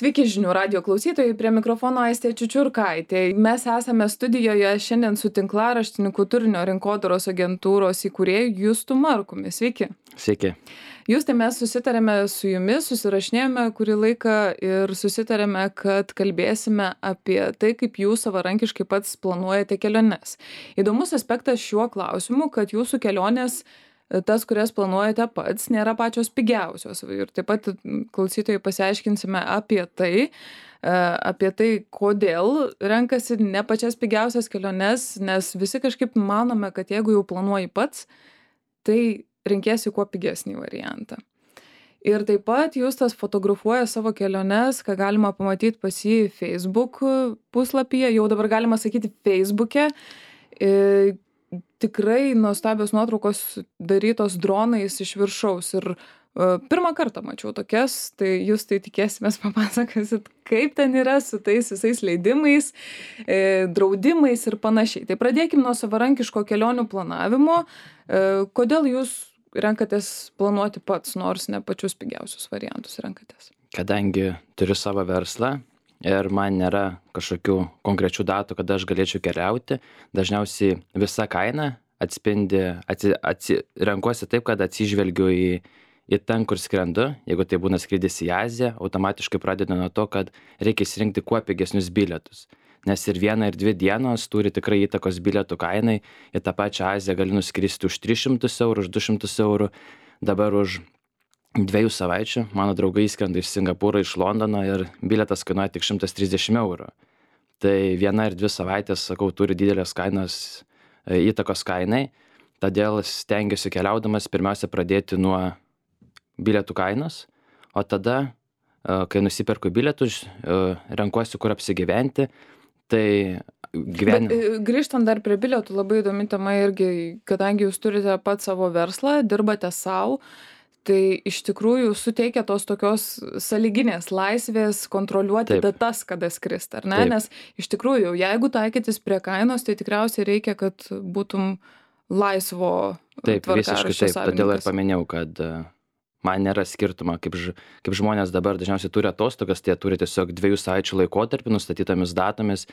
Sveiki žinių radijo klausytojai, prie mikrofono Aistė Čiučiurkaitė. Mes esame studijoje šiandien su tinklaraštininku turinio rinkodaros agentūros įkūrėju Justu Markumi. Sveiki. Sveiki. Justai, mes susitarėme su jumis, susirašinėjome kurį laiką ir susitarėme, kad kalbėsime apie tai, kaip jūs savarankiškai pats planuojate keliones. Įdomus aspektas šiuo klausimu, kad jūsų kelionės, tas, kurias planuojate pats, nėra pačios pigiausios. Ir taip pat klausytojai pasiaiškinsime apie tai, kodėl renkasi ne pačias pigiausias keliones, nes visi kažkaip manome, kad jeigu jau planuoji pats, tai renkėsi kuo pigesnį variantą. Ir taip pat Justas fotografuoja savo keliones, ką galima pamatyti pas jį Facebook puslapyje, jau dabar galima sakyti Facebook'e. Tikrai nuostabios nuotraukos darytos dronais iš viršaus ir pirmą kartą mačiau tokias, tai jūs tai tikėsimės papasakosit, kaip ten yra su tais visais leidimais, draudimais ir panašiai. Tai pradėkim nuo savarankiško kelionių planavimo. Kodėl jūs renkatės planuoti pats, nors ne pačius pigiausius variantus renkatės? Kadangi turiu savo verslą ir man nėra kažkokių konkrečių datų, kada aš galėčiau keliauti, dažniausiai visa kaina atspindi, renkuosi taip, kad atsižvelgiu į ten, kur skrendu. Jeigu tai būna skrydis į Aziją, automatiškai pradedu nuo to, kad reikia išsirinkti kuo pigesnius bilietus. Nes ir 1 ir 2 dienos turi tikrai įtakos bilietų kainai. Į tą pačią Aziją gali nuskristi už 300 eurų, už 200 eurų. Dabar už 2 savaičių mano draugai įskrenda iš Singapūro, iš Londono ir bilietas kainuoja tik 130 eurų. Tai 1 ir 2 savaitės, sakau, turi didelės kainos įtakos kainai. Todėl stengiuosi keliaudamas pirmiausia pradėti nuo bilietų kainos, o tada, kai nusiperku bilietus, renkuosi, kur apsigyventi. Tai grįžtant dar prie bilietų, labai įdomi tema irgi, kadangi jūs turite pat savo verslą, dirbate savo, tai iš tikrųjų suteikia tos tokios sąlyginės laisvės kontroliuoti datas, kada skristi, ar ne? Taip. Nes iš tikrųjų, jeigu taikytis prie kainos, tai tikriausiai reikia, kad būtum laisvo tvarkaraščio savininkas. Todėl ir paminėjau, kad man nėra skirtumo, kaip žmonės dabar dažniausiai turi atostogas, tai jie turi tiesiog 2 savaičių laikotarpį nustatytomis datomis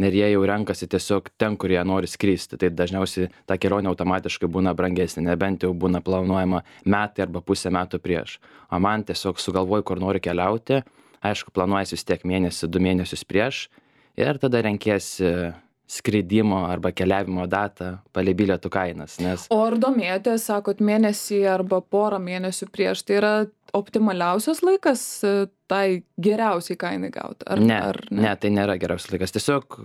ir jie jau renkasi tiesiog ten, kur jie nori skristi. Tai dažniausiai ta kelionė automatiškai būna brangesnė, nebent jau būna planuojama metai arba pusę metų prieš. O man tiesiog sugalvoju, kur noriu keliauti, aišku, planuojasi vis tiek 1-2 mėnesius prieš ir tada renkiesi skridimo arba keliavimo datą palei bilietų kainas. O ar domėjotės, sakot, mėnesį arba porą mėnesių prieš, tai yra optimaliausias laikas tai geriausiai kainai gauti? Ne, tai nėra geriausias laikas. Tiesiog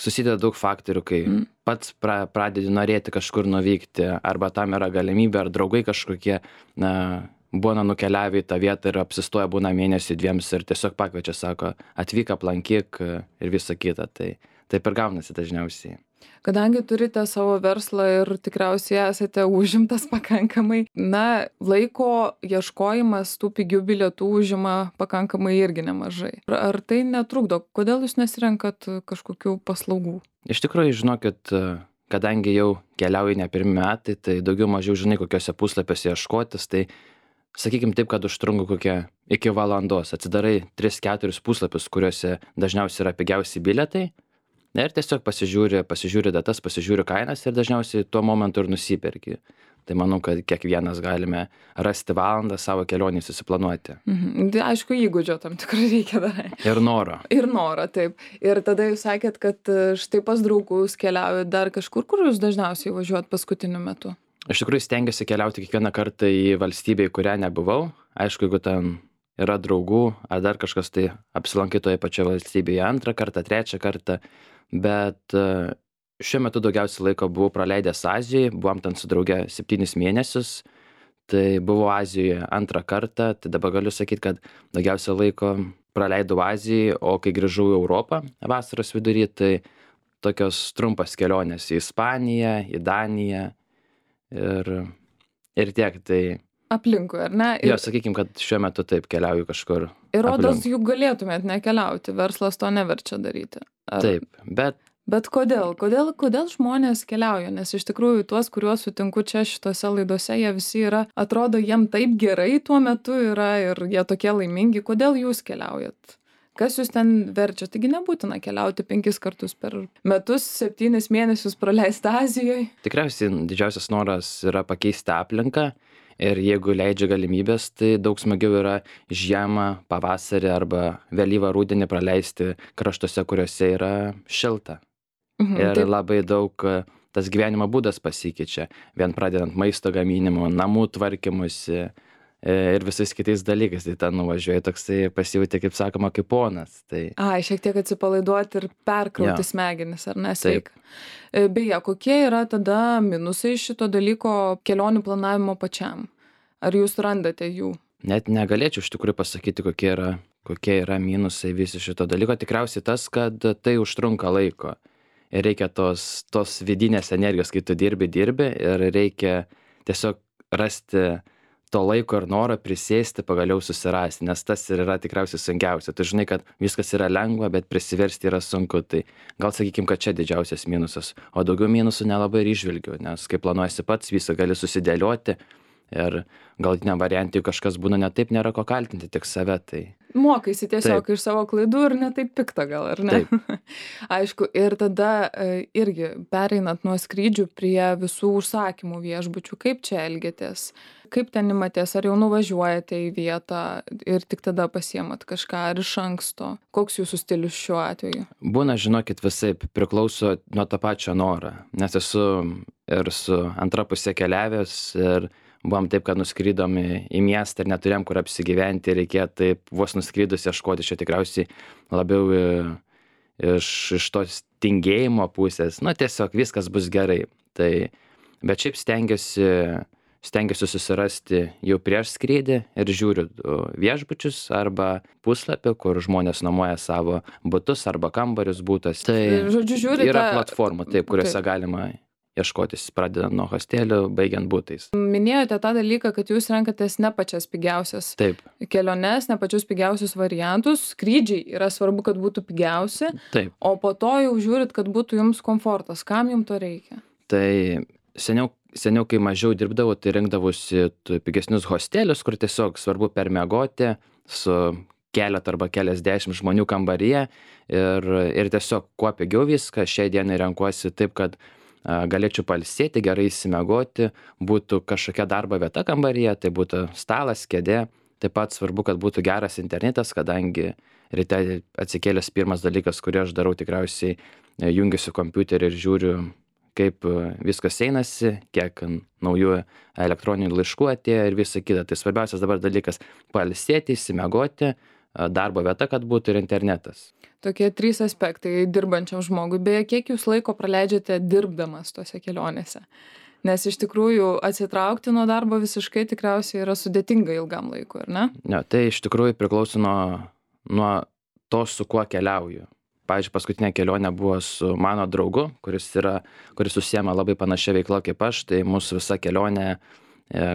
susideda daug faktorių, kai pats pradedi norėti kažkur nuvykti, arba tam yra galimybė, ar draugai kažkokie būna nukeliavę į tą vietą ir apsistoja būna 1-2 ir tiesiog pakviečia, sako, atvyk, aplankyk ir visa kita. Tai taip ir gaunasi dažniausiai. Kadangi turite savo verslą ir tikriausiai esate užimtas pakankamai, laiko ieškojimas tų pigių bilietų užima pakankamai irgi nemažai. Ar tai netrukdo? Kodėl jūs nesirenkat kažkokių paslaugų? Iš tikrųjų, žinokit, kadangi jau keliauju ne pirmi metai, tai daugiau mažiau žinai, kokiuose puslapiuose ieškotis, tai sakykim taip, kad užtrunka kokią iki valandos. Atsidarai 3-4 puslapius, kuriuose dažniausiai yra pigiausi bilietai. Ir tiesiog pasižiūri datas, pasižiūri kainas ir dažniausiai tuo momentu ir nusiperki. Tai manau, kad kiekvienas galime rasti valandą savo kelionį susiplanuoti. Aišku, įgūdžio tam tikrai reikia dar. Ir noro. Ir noro, taip. Ir tada jūs sakėt, kad štai pas draugus keliaujat dar kažkur, kur jūs dažniausiai važiuojat paskutiniu metu? Iš tikrųjų stengiuosi keliauti kiekvieną kartą į valstybę, į kurią nebuvau. Aišku, jeigu ten yra draugų, ar dar kažkas, tai apsilankai toje pačioje valstybėje 2 kartą, 3 kartą. Bet šiuo metu daugiausiai laiko buvau praleidęs Azijai, buvom ten su drauge 7 mėnesius, tai buvau Azijoje 2 kartą, tai dabar galiu sakyti, kad daugiausiai laiko praleidau Azijai, o kai grįžau į Europą vasaros vidury, tai tokios trumpas kelionės į Ispaniją, į Daniją ir tiek. Tai aplinkui, ar ne? Jo, sakykim, kad šiuo metu taip keliauju kažkur. Ir rodos, juk galėtumėt nekeliauti, verslas to neverčia daryti. Taip, Bet kodėl žmonės keliauja? Nes iš tikrųjų tuos, kuriuos sutinku čia šitose laidose, jie visi atrodo jiem taip gerai tuo metu yra ir jie tokie laimingi. Kodėl jūs keliaujat? Kas jūs ten verčia? Taigi nebūtina keliauti 5 kartus per metus, 7 mėnesius praleisti Azijoje. Tikriausiai didžiausias noras yra pakeisti aplinką ir jeigu leidžia galimybės, tai daug smagiau yra žiemą, pavasarį arba vėlyvą rudenį praleisti kraštuose, kuriuose yra šilta. Ir labai daug tas gyvenimo būdas pasikeičia, vien pradedant maisto gaminimu, namų tvarkymusi ir visais kitais dalykais. Tai ten nuvažiuoji toksai pasijauti, kaip sakoma, kaip ponas. Tai... Šiek tiek atsipalaiduoti ir perkrauti smegenis, ar ne, sveika. Beje, kokie yra tada minusai šito dalyko kelionių planavimo pačiam? Ar jūs randate jų? Net negalėčiau iš tikrųjų pasakyti, kokie yra minusai visi šito dalyko. Tikriausiai tas, kad tai užtrunka laiko. Ir reikia tos vidinės energijos, kai tu dirbi ir reikia tiesiog rasti to laiko ir noro prisėsti, pagaliau susirasti, nes tas ir yra tikriausiai sunkiausia. Tu žinai, kad viskas yra lengva, bet prisiversti yra sunku. Tai gal sakykim, kad čia didžiausias minusas. O daugiau minusų nelabai ir išvilgiu, nes kai planuojasi pats, visą gali susidėlioti ir galutiniam variantui kažkas būna ne taip, nėra ko kaltinti, tik save. Tai... Mokaisi tiesiog iš savo klaidų ir ne taip pikta gal, ar ne? Taip. Aišku, ir tada irgi pereinant nuo skrydžių prie visų užsakymų viešbučių, kaip čia elgiatės? Kaip ten imatės, ar jau nuvažiuojate į vietą ir tik tada pasiemat kažką, ar iš anksto? Koks jūsų stilius šiuo atveju? Būna, žinokit, visaip priklauso nuo to pačio noro, nes esu ir su antra pusė keliavęs ir buvom taip, kad nuskridom į miestą ir neturėjom kur apsigyventi ir reikėjo taip vos nuskridus ieškoti, čia tikriausiai labiau iš tos tingėjimo pusės, tiesiog viskas bus gerai. Tai, bet šiaip stengiuosi susirasti jau prieš skrydį ir žiūriu viešbučius arba puslapį, kur žmonės nuomoja savo butus arba kambarius būtas. Tai žodžiu, žiūrite... Yra platformų, kuriuose galima ieškotis, pradedant nuo hostelių, baigiant butais. Minėjote tą dalyką, kad jūs renkatės ne pačias pigiausias keliones, ne pačius pigiausius variantus. Skrydžiai yra svarbu, kad būtų pigiausi, o po to jau žiūrit, kad būtų jums komfortas. Kam jums to reikia? Tai seniau, kai mažiau dirbdavau, tai rinkdavausi pigesnius hostelius, kur tiesiog svarbu permiegoti su keletą arba keliasdešimt žmonių kambaryje ir tiesiog kuo pigiau viską. Šiai dienai renkuosi taip, kad galėčiau pailsėti, gerai išsimiegoti, būtų kažkokia darbo vieta kambaryje, tai būtų stalas, kėdė. Taip pat svarbu, kad būtų geras internetas, kadangi ryte atsikėlęs pirmas dalykas, kurį aš darau, tikriausiai jungiuosi kompiuterį ir žiūriu, kaip viskas einasi, kiek naujų elektroninių laiškų atėjo ir visa kita. Tai svarbiausias dabar dalykas - pailsėti, išsimiegoti, darbo vieta, kad būtų ir internetas. Tokie 3 aspektai dirbančiam žmogui. Beje, kiek jūs laiko praleidžiate dirbdamas tose kelionėse? Nes iš tikrųjų atsitraukti nuo darbo visiškai tikriausiai yra sudėtinga ilgam laikui, ar ne? Ne, tai iš tikrųjų priklauso nuo to, su kuo keliauju. Pavyzdžiui, paskutinė kelionė buvo su mano draugu, kuris užsiema labai panašia veikla kaip aš. Tai mūsų visa kelionė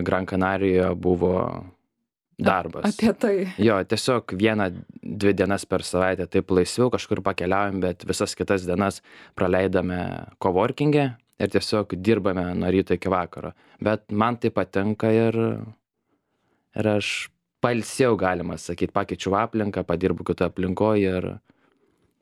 Gran Canarijoje buvo darbas. Apie tai. Jo, tiesiog 1-2 dienas per savaitę taip laisviau kažkur pakeliaujam, bet visas kitas dienas praleidame coworking'e ir tiesiog dirbame nuo ryto iki vakaro. Bet man tai patinka ir aš pailsėjau, galima sakyti, pakeičiau aplinką, padirbu kitoje aplinkoje ir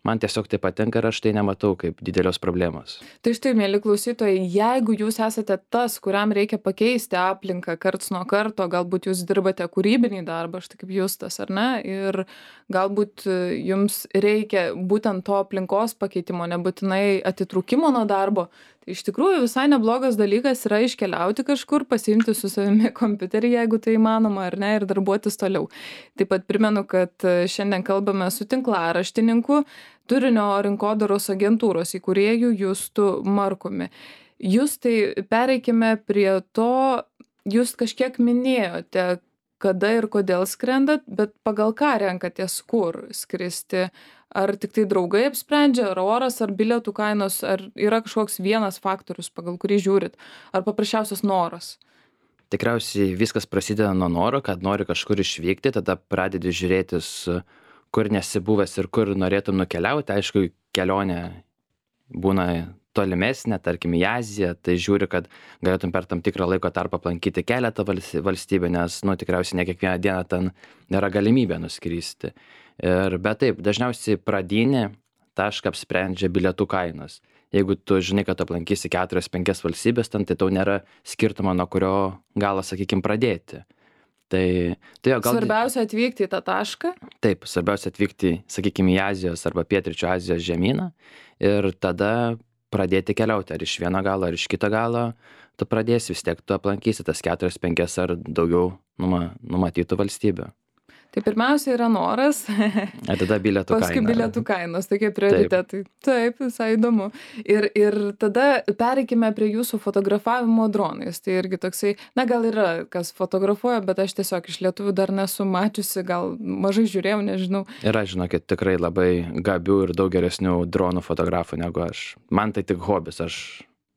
man tiesiog tai patinka ir aš tai nematau kaip didelios problemos. Tai štai, mėly klausytojai, jeigu jūs esate tas, kuriam reikia pakeisti aplinką karts nuo karto, galbūt jūs dirbate kūrybinį darbą, štai kaip Justas, ar ne, ir galbūt jums reikia būtent to aplinkos pakeitimo, nebūtinai atitrūkimo nuo darbo, tai iš tikrųjų visai neblogas dalykas yra iškeliauti kažkur, pasiimti su savimi kompiuterį, jeigu tai įmanoma, ar ne, ir darbuotis toliau. Taip pat primenu, kad šiandien kalbame su tinklaraštininku, turinio rinkodaros agentūros įkūrėju Justu Markumi. Justai, pereikime prie to, jūs kažkiek minėjote, kada ir kodėl skrendat, bet pagal ką renkatės kur skristi? Ar tik tai draugai apsprendžia, ar oras, ar bilietų kainos, ar yra kažkoks vienas faktorius, pagal kurį žiūrit, ar paprasčiausias noras? Tikriausiai viskas prasideda nuo noro, kad nori kažkur išvykti, tada pradedi žiūrėtis, kur nesi buvęs ir kur norėtum nukeliauti. Aišku, kelionė būna tolimesnė, tarkim į Aziją, tai žiūri, kad galėtum per tam tikrą laiko tarpą aplankyti keletą valstybių, nes tikriausiai ne kiekvieną dieną ten nėra galimybė nuskristi. Bet taip, dažniausiai pradinį tašką apsprendžia bilietų kainos. Jeigu tu žinai, kad aplankysi 4-5 valstybės, ten, tai tau nėra skirtumo, nuo kurio galo, sakykime, pradėti. Tai jo, gal... Svarbiausia atvykti į tą tašką. Taip, svarbiausia atvykti, sakykime, į Azijos arba Pietryčių Azijos žemyną ir tada pradėti keliauti, ar iš vieno galo, ar iš kito galo, tu pradėsi, vis tiek tu aplankysi tas 4-5 ar daugiau numatytų valstybių. Tai pirmiausia yra noras, Ir tada bilietų kaina. paskui bilietų kainos, tokie prioritetai. Taip, visai įdomu. Ir tada pereikime prie jūsų fotografavimo dronais. Tai irgi toksai, na gal yra, kas fotografuoja, bet aš tiesiog iš lietuvių dar nesu mačiusi, gal mažai žiūrėjau, nežinau. Yra, žinokit, tikrai labai gabių ir daug geresnių dronų fotografų negu aš. Man tai tik hobis, aš...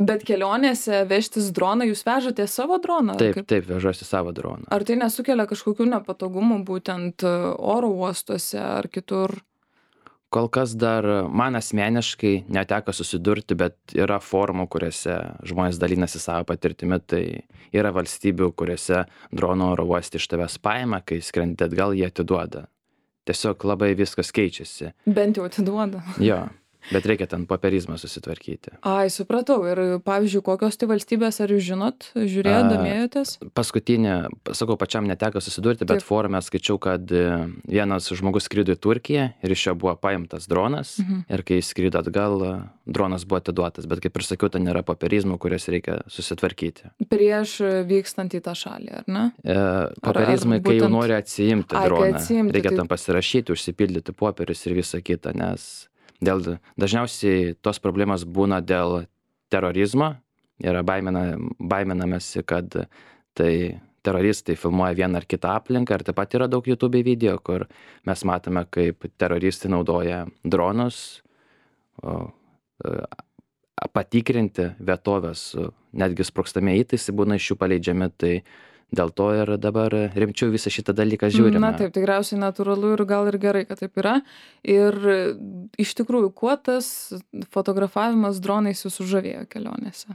Bet kelionėse vežtis droną, jūs vežate savo droną? Taip, vežuosi savo droną. Ar tai nesukelia kažkokių nepatogumų būtent oro uostuose ar kitur? Kol kas dar man asmeniškai neteko susidurti, bet yra formų, kuriuose žmonės dalinasi savo patirtimi, tai yra valstybių, kuriuose drono oro uoste iš tavęs paima, kai skrendi atgal, jie atiduoda. Tiesiog labai viskas keičiasi. Bent jau atiduoda. Jo. Bet reikia ten popierizmą susitvarkyti. Ai, supratau. Ir, pavyzdžiui, kokios tai valstybės, ar jūs žinot, žiūrėjot, domėjotės? Paskutinė, sakau, pačiam neteko susidurti, bet forume skaičiau, kad vienas žmogus skrido į Turkiją ir iš jo buvo paimtas dronas ir kai skrido atgal, dronas buvo atiduotas. Bet kaip ir sakiau, ten yra popierizmų, kurias reikia susitvarkyti. Prieš vykstant į tą šalį, ar ne? Popierizmai, kai jau nori atsiimti droną, reikia tai... tam pasirašyti, užsipildyti popierius ir visą kitą, nes... Dažniausiai tos problemos būna dėl terorizmo. Yra baiminamasi, kad tai teroristai filmuoja vieną ar kitą aplinką. Ir taip pat yra daug YouTube video, kur mes matome, kaip teroristai naudoja dronus patikrinti vietovės, netgi sprogstami įtaisai būna iš jų paleidžiami. Tai dėl to ir dabar rimčiau visą šitą dalyką žiūrime. Na taip, tikriausiai natūralu ir gal ir gerai, kad taip yra. Ir iš tikrųjų, kuo tas fotografavimas dronais jūs sužavėjo kelionėse?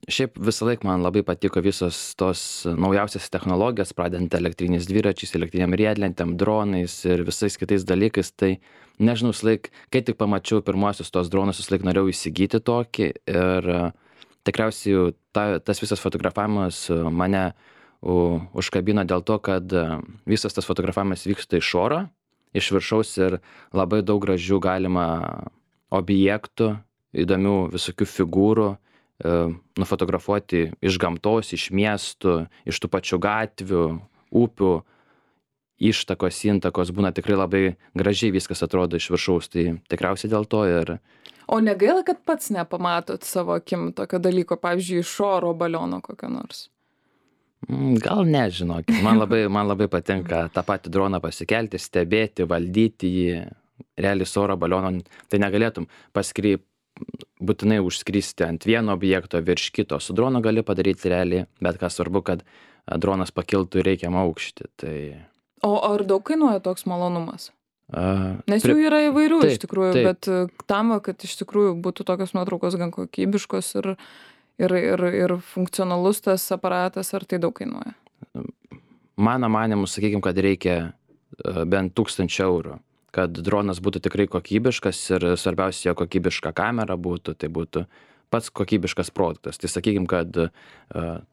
Šiaip visą laiką man labai patiko visos tos naujausias technologijos, pradedant elektriniais dviračiais, elektriniam riedlentėm, dronais ir visais kitais dalykais. Tai nežinau, kai tik pamačiau pirmuosius tos dronus, visą laiką norėjau įsigyti tokį ir tikriausiai tas visas fotografavimas mane užkabino dėl to, kad visas tas fotografavimas vyksta iš oro, iš viršaus ir labai daug gražių galima objektų, įdomių visokių figūrų nufotografuoti iš gamtos, iš miestų, iš tų pačių gatvių, upių, ištakos, intakos, būna tikrai labai gražiai viskas atrodo iš viršaus, tai tikriausiai dėl to ir... O negaila, kad pats nepamatot savo akim tokio dalyko, pavyzdžiui, iš oro baliono kokio nors? Gal nežinokit, man labai patinka tą patį droną pasikelti, stebėti, valdyti jį, realiai su oro baliono, tai negalėtum būtinai užskristi ant vieno objekto virš kito, su dronu gali padaryti realiai, bet ką svarbu, kad dronas pakiltų į reikiamą aukštį. Tai... O ar daug kainuoja toks malonumas? Nes jų yra įvairių iš tikrųjų, bet tam, kad iš tikrųjų būtų tokios nuotraukos gan kokybiškos ir funkcionalus tas aparatas, ar tai daug kainuoja? Mano manimu, sakykime, kad reikia bent 1000 eurų, kad dronas būtų tikrai kokybiškas ir svarbiausia, jo kokybiška kamera būtų, tai būtų pats kokybiškas produktas. Tai sakykime, kad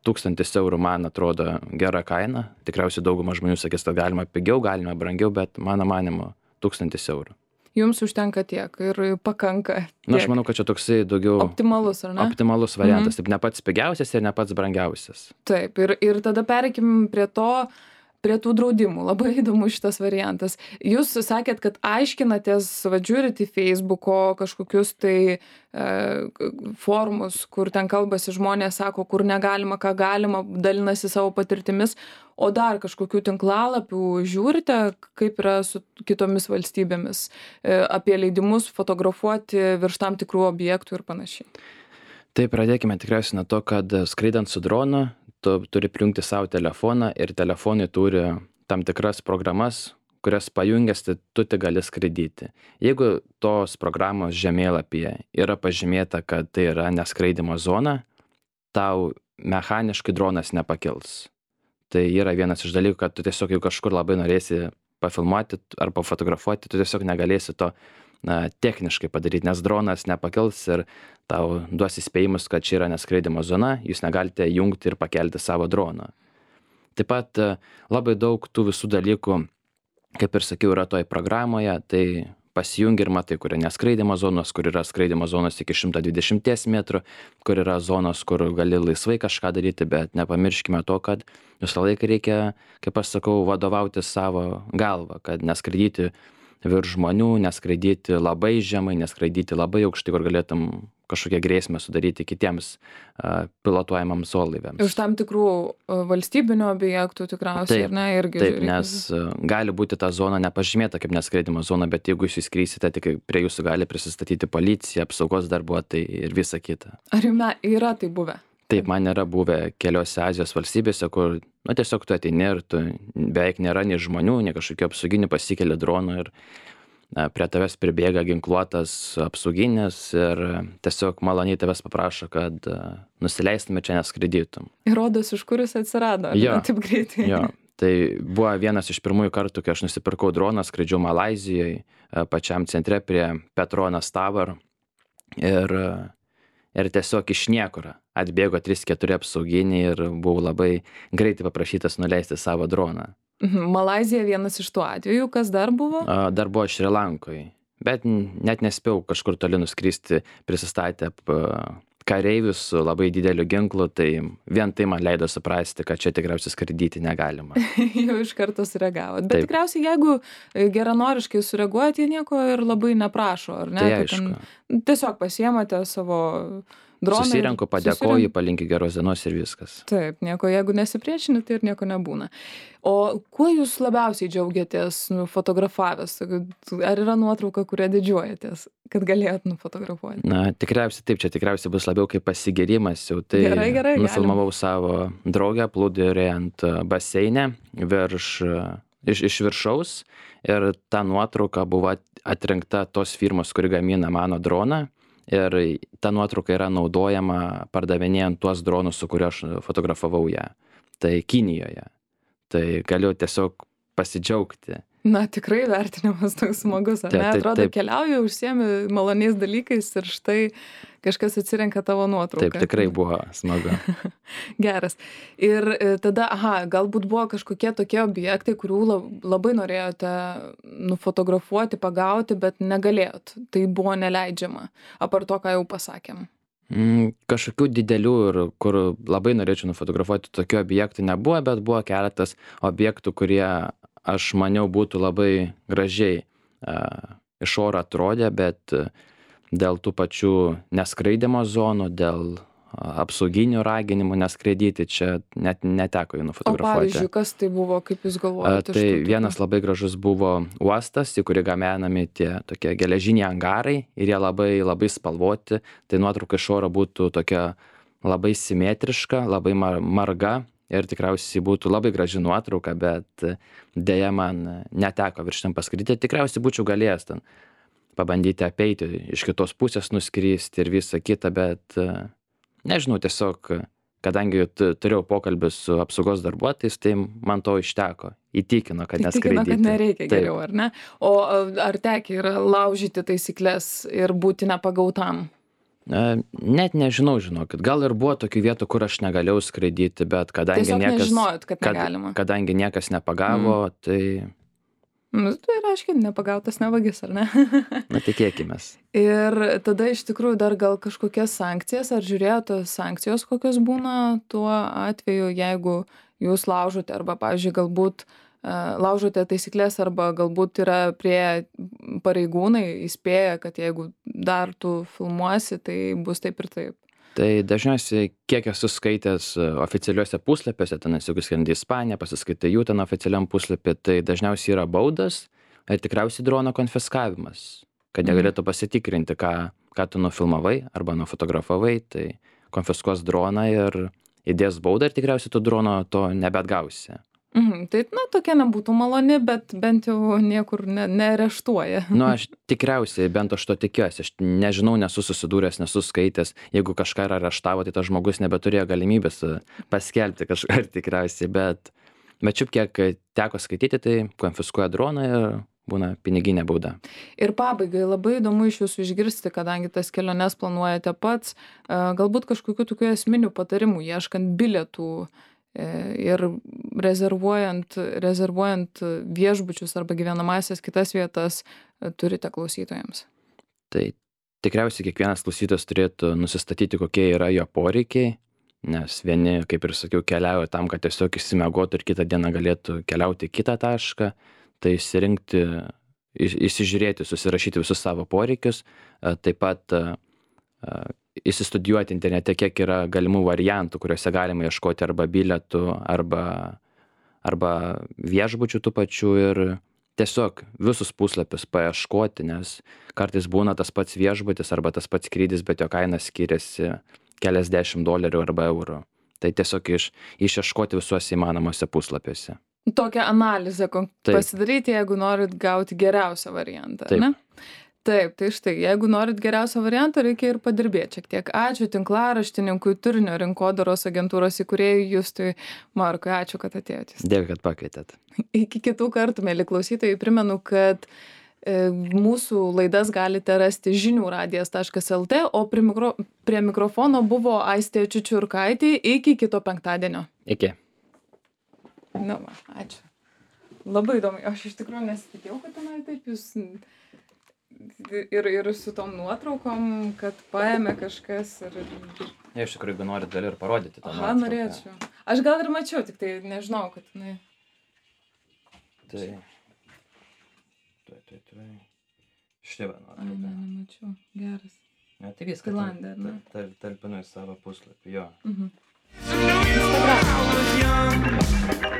1000 eurų man atrodo gera kaina. Tikriausiai dauguma žmonių sakys, kad galima pigiau, galima brangiau, bet mano manimu 1000 eurų. Jums užtenka tiek ir pakanka. Na, aš manau, kad čia toksai daugiau... Optimalus, ar ne? Optimalus variantas. Taip, ne pats pigiausias ir ne pats brangiausias. Taip, ir tada pereikim prie tų draudimų. Labai įdomu šitas variantas. Jūs sakėt, kad aiškinatės, žiūrit į Facebooko kažkokius tai forumus, kur ten kalbasi žmonės, sako, kur negalima, ką galima, dalinasi savo patirtimis, o dar kažkokių tinklalapių žiūrite, kaip yra su kitomis valstybėmis, apie leidimus fotografuoti virš tam tikrų objektų ir panašiai. Tai pradėkime tikriausiai nuo to, kad skraidant su dronu, tu turi prijungti savo telefoną ir telefonai turi tam tikras programas, kurias pajungęs, tai tu tik gali skraidyti. Jeigu tos programos žemėlapyje yra pažymėta, kad tai yra neskraidimo zona, tau mechaniškai dronas nepakils. Tai yra vienas iš dalykų, kad tu tiesiog jau kažkur labai norėsi pafilmuoti ar pafotografuoti, tu tiesiog negalėsi to techniškai padaryti, nes dronas nepakils ir tau duos įspėjimus, kad čia yra neskraidimo zona, jūs negalite jungti ir pakelti savo droną. Taip pat labai daug tų visų dalykų, kaip ir sakiau, yra toj programoje, tai pasijungi ir matai, kur yra neskraidimo zonos, kur yra skraidimo zonos iki 120 metrų, kur yra zonos, kur gali laisvai kažką daryti, bet nepamirškime to, kad visą laiką reikia, kaip aš sakau, vadovauti savo galvą, kad neskraidyti virš žmonių, neskraidyti labai žemai, neskraidyti labai aukštai, kur galėtum kažkokią grėsmę sudaryti kitiems pilotuojamams orlaiviams. Iš tam tikrų valstybinių objektų tikriausiai, Taip, ar ne, irgi. Taip, nes gali būti ta zona nepažymėta kaip neskraidimo zona, bet jeigu jūs įskrysite, tik prie jūsų gali prisistatyti policija, apsaugos darbuotojai ir visa kita. Ar jums yra tai buvę? Taip, man yra buvę keliose Azijos valstybėse, kur, tiesiog tu ateini ir tu beveik nėra nei žmonių, nei kažkokių apsauginių, pasikeli dronų ir prie tavęs pribėga ginkluotas apsauginis ir tiesiog maloniai tavęs paprašo, kad nusileistume čia neskraidytum. Ir rodos, iš kur jis atsirado, ar taip greitai? Jo, tai buvo vienas iš pirmųjų kartų, kai aš nusipirkau droną, skraidžiau Malaizijoje, pačiam centre prie Petronas Tower ir tiesiog iš niekur atbėgo 3-4 apsauginiai ir buvau labai greitai paprašytas nuleisti savo droną. Malaizija vienas iš tų atvejų, kas dar buvo? Dar buvo Šri Lankoje, bet net nespėjau kažkur toli nuskristi, prisistatę kareivius su labai dideliu ginklu, tai vien tai man leido suprasti, kad čia tikriausiai skraidyti negalima. Jau iš karto sureagavot. Bet tikriausiai, jeigu geranoriškai sureaguojat, jie nieko ir labai neprašo, ar ne? Tai aišku. Tiesiog pasiemate savo droną. Susirenku, padėkoju, palinkiu geros dienos ir viskas. Taip, nieko, jeigu nesipriešini, tai ir nieko nebūna. O kuo jūs labiausiai džiaugiatės fotografavęs? Ar yra nuotrauka, kurią didžiuojatės, kad galėjot nufotografuoti? Tikriausiai taip, čia tikriausiai bus labiau kaip pasigėrimas jau. Tai gerai, nufilmavau savo draugę plūduriuojant baseine iš viršaus ir ta nuotrauka buvo atrinkta tos firmos, kuri gamina mano droną. Ir ta nuotrauka yra naudojama pardavinėjant tuos dronus, su kuriuo aš fotografavau ją. Tai Kinijoje. Tai galiu tiesiog pasidžiaugti. Tikrai vertinimas toks smagus, ar ne? Atrodo, keliauju, užsiemi maloniais dalykais ir štai kažkas atsirenka tavo nuotrauką. Taip, tikrai buvo smagu. Geras. Ir tada, galbūt buvo kažkokie tokie objektai, kurių labai norėjote nufotografuoti, pagauti, bet negalėjot. Tai buvo neleidžiama. Apart to, ką jau pasakėm. Kažkokių didelių ir kur labai norėčiau nufotografuoti tokių objektų nebuvo, bet buvo keletas objektų, kurie aš maniau būtų labai gražiai iš oro atrodė, bet dėl tų pačių neskraidimo zonų, dėl apsauginių raginimų neskraidyti, čia net neteko jų nufotografuoti. O pavyzdžiui, kas tai buvo, kaip jūs galvojate? Tai vienas labai gražus buvo uostas, į kurį gabenami tie tokie geležiniai angarai ir jie labai, labai spalvoti. Tai nuotrauka iš oro būtų tokia labai simetriška, labai marga. Ir tikriausiai būtų labai graži nuotrauka, bet dėja man neteko virš ten paskridyti. Tikriausiai būčiau galėjęs ten pabandyti apeiti, iš kitos pusės nuskristi ir visą kitą, bet nežinau, tiesiog, kadangi turėjau pokalbį su apsaugos darbuotojais, tai man to išteko. Įtikino, kad neskraidyti. Įtikino, kad nereikia geriau, ar ne? O ar tekia yra laužyti taisyklės ir būti nepagautam? Net nežinau, žinokit. Gal ir buvo tokių vietų, kur aš negalėjau skraidyti, bet kadangi kadangi niekas nepagavo, tai... Tai reiškia, nepagautas nevagis, ar ne? Tikėkimės. Ir tada iš tikrųjų dar gal kažkokias sankcijas, ar žiūrėjote sankcijos, kokios būna tuo atveju, jeigu jūs laužote, arba, pavyzdžiui, galbūt laužote taisyklės, arba galbūt yra prie pareigūnai įspėja, kad jeigu dar tu filmuosi, tai bus taip ir taip. Tai dažniausiai, kiek esu skaitęs oficialiuose puslapiuose, ten jeigu skrendi į Ispaniją, pasiskaitai jų ten oficialiam puslapį, tai dažniausiai yra baudas ir tikriausiai drono konfiskavimas, kad negalėtų pasitikrinti, ką tu nufilmavai arba nufotografavai, tai konfiskuos droną ir įdės baudą ir tikriausiai tu drono to nebeatgausi. Tai, tokia nebūtų maloni, bet bent jau niekur neareštuoja. Aš tikriausiai, bent aš to tikiuosi, aš nežinau, nesu susidūręs, nesu skaitęs, jeigu kažką areštavo, tai tas žmogus nebeturėjo galimybės paskelbti kažką tikriausiai, bet Bet šiaip kiek teko skaityti, tai konfiskuoja droną ir būna piniginė bauda. Ir pabaigai labai įdomu iš jūsų išgirsti, kadangi tas keliones planuojate pats, galbūt kažkokių tokių esminių patarimų, ieškant bilietų ir rezervuojant viešbučius arba gyvenamąsias kitas vietas, turite klausytojams. Tai tikriausiai kiekvienas klausytojas turėtų nusistatyti, kokie yra jo poreikiai, nes vieni, kaip ir sakiau, keliauja tam, kad tiesiog išsimiegotų ir kitą dieną galėtų keliauti į kitą tašką, tai išsirinkti, įsižiūrėti, susirašyti visus savo poreikius, taip pat įsistudijuoti internete, kiek yra galimų variantų, kuriuose galima ieškoti arba bilietų, arba viešbučių tų pačių ir tiesiog visus puslapius paieškoti, nes kartais būna tas pats viešbutis arba tas pats skrydis, bet jo kaina skiriasi keliasdešimt dolerių arba eurų. Tai tiesiog išieškoti visuose įmanomuose puslapiuose. Tokią analizę pasidaryti, jeigu norit gauti geriausią variantą, ne? Taip, tai štai, jeigu norit geriausią variantą, reikia ir padirbėti šiek tiek. Ačiū tinklaraštininkui, turinio rinkodaros agentūros įkūrėjui Justui Markui. Ačiū, kad atėjote. Dėkui, kad pakvietėt. Iki kitų kartų, mėly klausytojai, primenu, kad mūsų laidas galite rasti žiniųradijas.lt, o prie mikrofono buvo Aistė Čiučiurkaitė. Iki kito penktadienio. Iki. Na, ačiū. Labai įdomu. Aš iš tikrųjų nesitikėjau, kad tenai taip jūs ir su tom nuotraukom, kad paėmė kažkas ir... Ja, iš tikrųjų, jeigu norit, gali ir parodyti tą nuotrauką. Norėčiau. Aš gal ir mačiau, tik tai nežinau, kad jinai... Tai... Štai va nuotrauka. Nemačiau. Geras. Ne, tai viskas. Tailandė, ar ne? Talpinu į savo puslapį, jo. Instagram.